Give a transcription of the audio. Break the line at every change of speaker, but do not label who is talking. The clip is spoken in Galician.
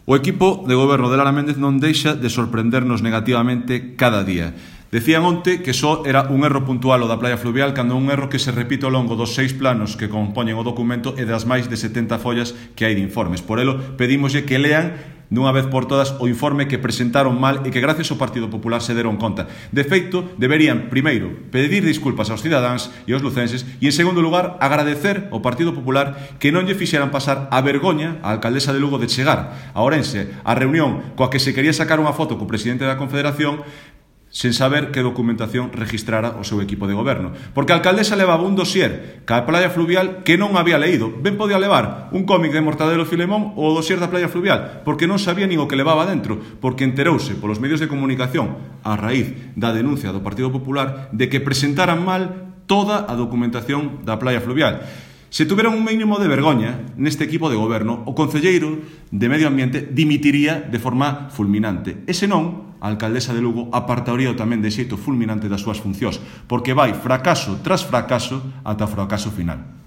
O equipo de goberno de Lara Méndez non deixa de sorprendernos negativamente cada día. Decían onte que só era un erro puntual o da playa fluvial cando un erro que se repite ao longo dos 6 planos que compoñen o documento e das máis de 70 follas que hai de informes. Por elo, pedímoslle que lean dunha vez por todas o informe que presentaron mal e que gracias ao Partido Popular se deron conta. De feito, deberían, primeiro, pedir disculpas aos cidadáns e aos lucenses e, en segundo lugar, agradecer ao Partido Popular que non lle fixeran pasar a vergoña á alcaldesa de Lugo de chegar a Ourense a reunión coa que se quería sacar unha foto co presidente da Confederación sen saber que documentación registrara o seu equipo de goberno. Porque a alcaldesa levaba un dossier ca playa fluvial que non había leído. Ben podía levar un cómic de Mortadelo Filemón ou o dossier da playa fluvial, porque non sabía nin o que levaba dentro, porque enterouse polos medios de comunicación a raíz da denuncia do Partido Popular de que presentaran mal toda a documentación da playa fluvial. Se tuveran un mínimo de vergoña neste equipo de goberno, o concelleiro de Medio Ambiente dimitiría de forma fulminante. E senón, a alcaldesa de Lugo apartaría tamén de xeito fulminante das súas funcións, porque vai fracaso tras fracaso ata o fracaso final.